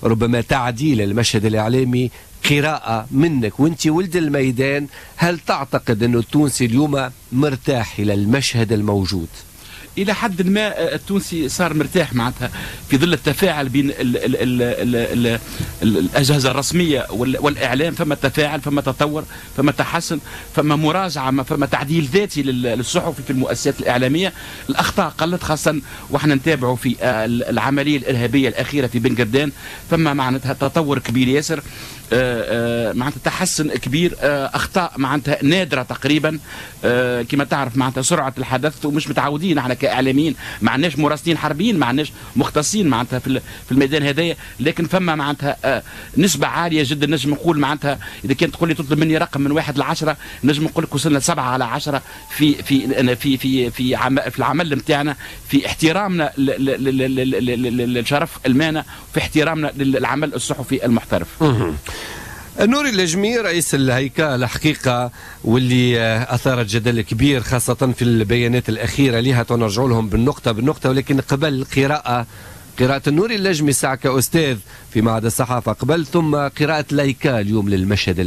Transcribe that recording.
ربما تعديل المشهد الإعلامي. قراءة منك وانت ولد الميدان، هل تعتقد أنه التونسي اليوم مرتاح إلى المشهد الموجود؟ الى حد ما التونسي صار مرتاح معناتها في ظل التفاعل بين ال ال ال ال ال الاجهزة الرسمية والاعلام. فما تفاعل، فما تطور، فما تحسن، فما مراجعه، فما تعديل ذاتي للصحفي في المؤسسات الاعلامية. الاخطاء قلت، خاصة واحنا نتابعوا في العملية الارهابية الاخيرة في بن قردان، فما معناتها تطور كبير ياسر، معناتها تحسن كبير، اخطاء معناتها نادرة تقريبا. كما تعرف معناتها سرعة الحدث ومش متعودين احنا كاعلاميين، ما عندناش مراسلين حربيين، ما عندناش مختصين معناتها في الميدان هذايا، لكن فما معناتها نسبه عالية جدا. نجم نقول معناتها اذا كانت تقول لي تطلب مني رقم من 1 ل 10، نجم نقول لك وصلنا 7 على 10 في العمل نتاعنا، في احترامنا لشرف المهنه، في احترامنا للعمل الصحفي المحترف. النوري اللجمي، رئيس الهيكا الحقيقة واللي أثارت جدل كبير خاصة في البيانات الأخيرة لها، نرجع لهم بالنقطة بالنقطة، ولكن قبل قراءة النوري اللجمي ساعة كأستاذ في معهد الصحافة قبل، ثم قراءة l'AICA اليوم للمشهد.